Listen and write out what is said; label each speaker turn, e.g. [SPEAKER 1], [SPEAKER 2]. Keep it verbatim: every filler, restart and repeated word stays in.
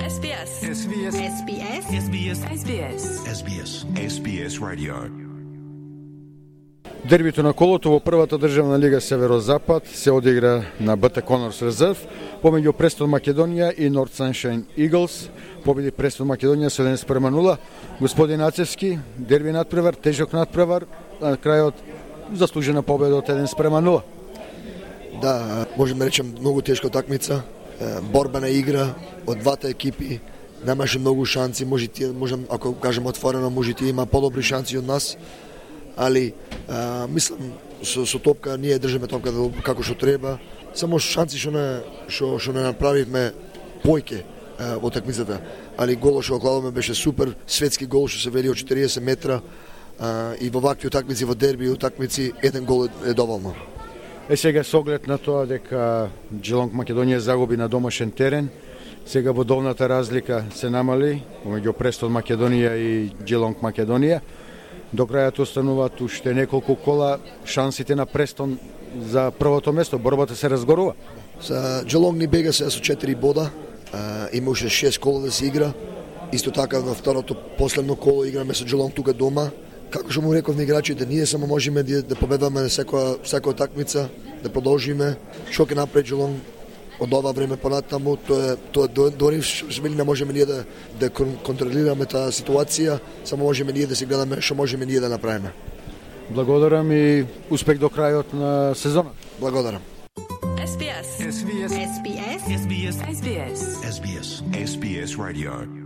[SPEAKER 1] Ес Би Ес.
[SPEAKER 2] Ес Би Ес.
[SPEAKER 1] Ес Би Ес. Ес Би Ес. Ес Би Ес.
[SPEAKER 2] Ес Би Ес. Ес Би Ес Radio.
[SPEAKER 3] Дербито на колото во првата државна лига Северозапад се одигра на БТ Конорс Резерв помеѓу Престон Македонија и Норт Саншайн Иглс. Победи Престон Македонија седем спрема нула. Господин Ацевски, дерби надпревар, тежок надпревар, на крајот заслужена победа од еден спрема нула.
[SPEAKER 4] Да, можеме речем многу тешка утакмица, борбена игра од двата екипи. Немаше многу шанси, може тие, можем ако кажем отворено, може тие има подобри шанси од нас. Али а, мислам со, со топка ние држиме топка како што треба. Само шанси што не што што не направивме појке во такмицата. Али голот што окладаме беше супер, светски гол што се вели од четириесет метра а, и во вакви утакмици, во дерби и утакмици еден гол е доволно.
[SPEAKER 3] Е сега со оглед на тоа дека Джелонг Македонија загуби на домашен терен, сега бодовната разлика се намали помеѓу Престон Македонија и Джелонг Македонија. До крајот остануваат уште неколку кола, шансите на Престон за првото место, борбата се разгорува.
[SPEAKER 4] За Джелонг ни бега се со четири бода, а, има уште шест кола да се игра. Исто така на второто последно коло играме со Джелонг тука дома. Како што му реков на играчите, ние само можеме да, да победаме на секоја секоја такмица, да продолжиме. Што ќе направи Джелонг од ова време понатаму, тоа тоа дори што не можеме ние да да контролираме таа ситуација, само можеме ние да се гледаме што можеме ние да направиме.
[SPEAKER 3] Благодарам и успех до крајот на сезонот.
[SPEAKER 4] Благодарам.
[SPEAKER 1] Ес Би Ес.
[SPEAKER 2] Ес Би Ес.
[SPEAKER 1] Ес Би Ес. Ес Би Ес.
[SPEAKER 2] Ес Би Ес. Ес Би Ес Radio.